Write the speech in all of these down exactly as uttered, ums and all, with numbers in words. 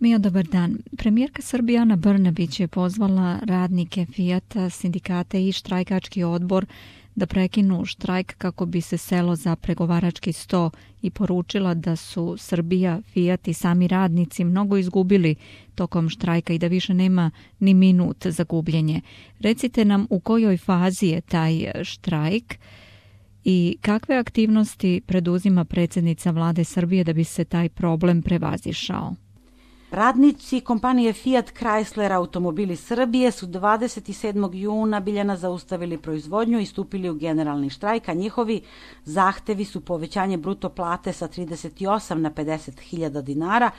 Mija, dobar dan. Premijerka Srbije Ana Brnabić je pozvala radnike Fijata, sindikate i štrajkački odbor da prekinu štrajk kako bi se selo za pregovarački sto i poručila da su Srbija, Fijat i sami radnici mnogo izgubili tokom štrajka i da više nema ni minut za gubljenje. Recite nam u kojoj fazi je taj štrajk i kakve aktivnosti preduzima predsjednica vlade Srbije da bi se taj problem prevazišao? Radnici kompanije Fiat Chrysler Automobili Srbije su dvadeset sedmog juna Biljana zaustavili proizvodnju i stupili u generalni štrajk, a njihovi zahtevi su povećanje bruto plate sa trideset osam na pedeset hiljada dinara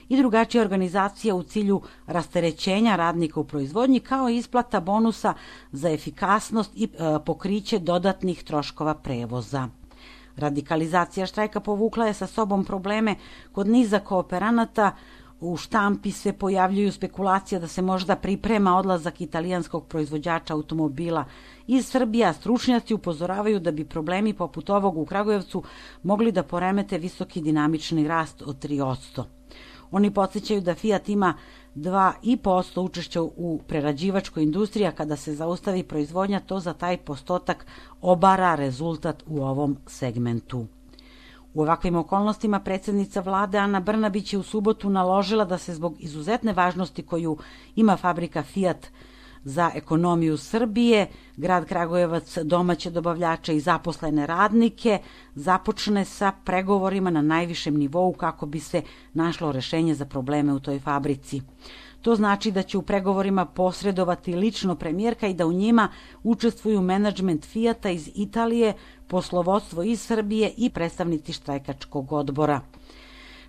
i drugačija organizacija u cilju rasterećenja radnika u proizvodnji, kao i isplata bonusa za efikasnost i e, pokriće dodatnih troškova prevoza. Radikalizacija štrajka povukla je sa sobom probleme kod niza kooperanata. U štampi se pojavljuju spekulacije da se možda priprema odlazak italijanskog proizvođača automobila iz Srbije, a stručnjaci upozoravaju da bi problemi poput ovog u Kragujevcu mogli da poremete visoki dinamični rast od tri posto. Oni podsjećaju da Fiat ima dva i po posto učešća u prerađivačkoj industriji, a kada se zaustavi proizvodnja, to za taj postotak obara rezultat u ovom segmentu. U ovakvim okolnostima predsjednica vlade Ana Brnabić je u subotu naložila da se zbog izuzetne važnosti koju ima fabrika Fiat za ekonomiju Srbije, grad Kragujevac, domaće dobavljače i zaposlene radnike započne sa pregovorima na najvišem nivou kako bi se našlo rešenje za probleme u toj fabrici. To znači da će u pregovorima posredovati lično premijerka i da u njima učestvuju menadžment Fijata iz Italije, poslovodstvo iz Srbije i predstavnici štrajkačkog odbora.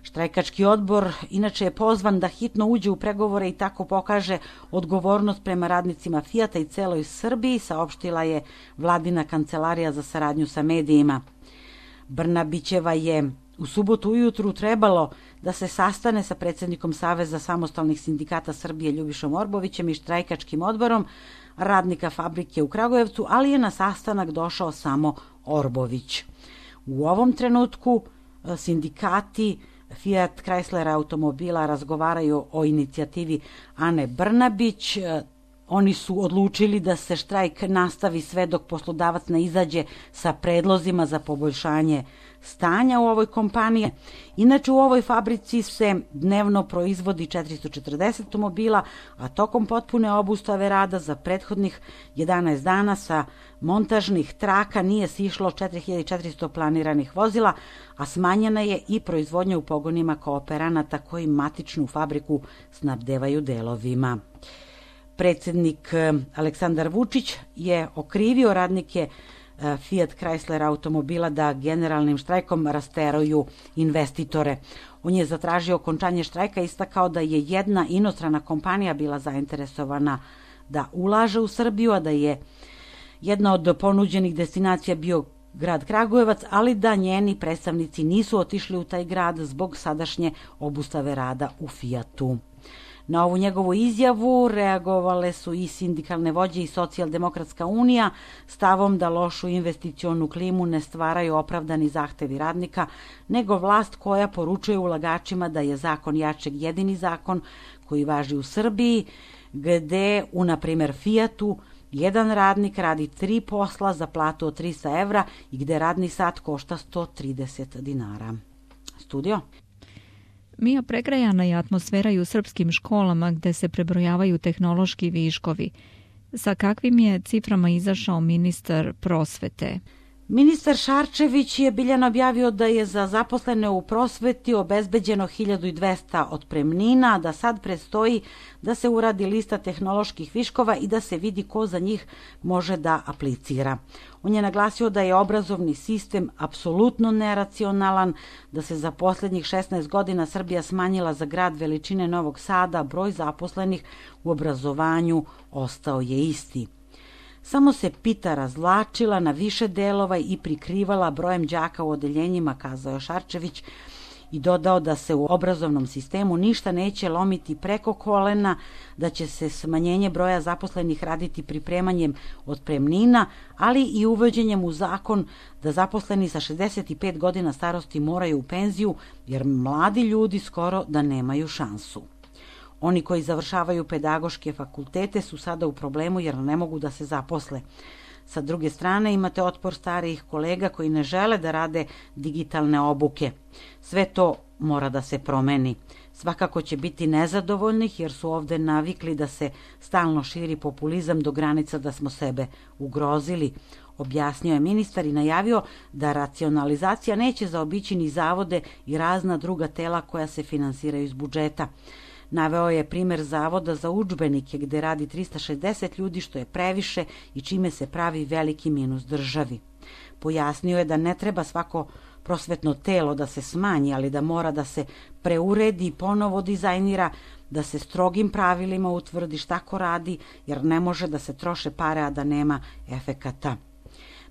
Štrajkački odbor inače je pozvan da hitno uđe u pregovore i tako pokaže odgovornost prema radnicima Fijata i celoj Srbiji, saopštila je vladina kancelarija za saradnju sa medijima. Brnabićeva je u subotu ujutru trebalo da se sastane sa predsjednikom Saveza samostalnih sindikata Srbije Ljubišom Orbovićem i štrajkačkim odborom radnika fabrike u Kragujevcu, ali je na sastanak došao samo Orbović. U ovom trenutku sindikati Fiat Chrysler automobila razgovaraju o inicijativi Ane Brnabić. Oni su odlučili da se štrajk nastavi sve dok poslodavac ne izađe sa predlozima za poboljšanje stanja u ovoj kompaniji. Inače, u ovoj fabrici se dnevno proizvodi četiristo četrdeset automobila, a tokom potpune obustave rada za prethodnih jedanaest dana sa montažnih traka nije sišlo četiri hiljade četiristo planiranih vozila, a smanjena je i proizvodnja u pogonima kooperanata koji matičnu fabriku snabdevaju delovima. Predsjednik Aleksandar Vučić je okrivio radnike Fiat Chrysler automobila da generalnim štrajkom rasteruju investitore. On je zatražio okončanje štrajka i istakao da je jedna inostrana kompanija bila zainteresovana da ulaže u Srbiju, a da je jedna od ponuđenih destinacija bio grad Kragujevac, ali da njeni predstavnici nisu otišli u taj grad zbog sadašnje obustave rada u Fijatu. Na ovu njegovu izjavu reagovale su i sindikalne vođe i Socijaldemokratska unija stavom da lošu investicionu klimu ne stvaraju opravdani zahtevi radnika, nego vlast koja poručuje ulagačima da je zakon jačeg jedini zakon koji važi u Srbiji, gde u, na primer, Fijatu jedan radnik radi tri posla za platu od trista evra i gde radni sat košta sto trideset dinara. Studio? Mija, pregrejana je atmosfera i u srpskim školama gde se prebrojavaju tehnološki viškovi. Sa kakvim je ciframa izašao ministar prosvete? Ministar Šarčević je Biljana objavio da je za zaposlene u prosveti obezbeđeno hiljadu dvesta otpremnina, da sad predstoji da se uradi lista tehnoloških viškova i da se vidi ko za njih može da aplicira. On je naglasio da je obrazovni sistem apsolutno neracionalan, da se za posljednjih šesnaest godina Srbija smanjila za grad veličine Novog Sada, broj zaposlenih u obrazovanju ostao je isti. Samo se pita razvlačila na više delova i prikrivala brojem đaka u odeljenjima, kazao je Šarčević, i dodao da se u obrazovnom sistemu ništa neće lomiti preko kolena, da će se smanjenje broja zaposlenih raditi pripremanjem otpremnina, ali i uvođenjem u zakon da zaposleni sa šezdeset pet godina starosti moraju u penziju, jer mladi ljudi skoro da nemaju šansu. Oni koji završavaju pedagoške fakultete su sada u problemu jer ne mogu da se zaposle. Sa druge strane imate otpor starijih kolega koji ne žele da rade digitalne obuke. Sve to mora da se promeni. Svakako će biti nezadovoljnih jer su ovde navikli da se stalno širi populizam do granica da smo sebe ugrozili, objasnio je ministar i najavio da racionalizacija neće zaobići ni zavode i razna druga tela koja se finansiraju iz budžeta. Naveo je primer Zavoda za udžbenike gde radi trista šezdeset ljudi, što je previše i čime se pravi veliki minus državi. Pojasnio je da ne treba svako prosvetno telo da se smanji, ali da mora da se preuredi i ponovo dizajnira, da se strogim pravilima utvrdi šta ko radi, jer ne može da se troše pare, a da nema efekata.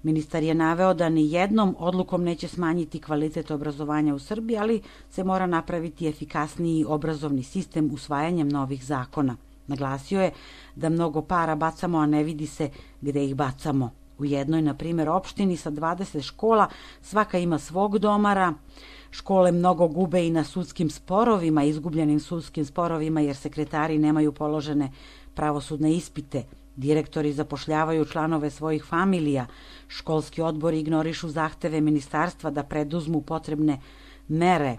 Ministar je naveo da ni jednom odlukom neće smanjiti kvalitet obrazovanja u Srbiji, ali se mora napraviti efikasniji obrazovni sistem usvajanjem novih zakona. Naglasio je da mnogo para bacamo, a ne vidi se gde ih bacamo. U jednoj, na primjer, opštini sa dvadeset škola svaka ima svog domara. Škole mnogo gube i na sudskim sporovima, izgubljenim sudskim sporovima, jer sekretari nemaju položene pravosudne ispite. Direktori zapošljavaju članove svojih familija. Školski odbori ignorišu zahteve ministarstva da preduzmu potrebne mere.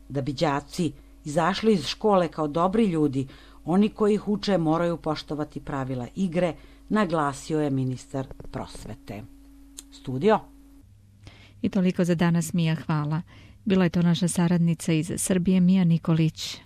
Da bi đaci izašli iz škole kao dobri ljudi, oni koji ih uče moraju poštovati pravila igre, naglasio je ministar prosvete. Studio. I toliko za danas, Mija, hvala. Bila je to naša saradnica iz Srbije, Mija Nikolić.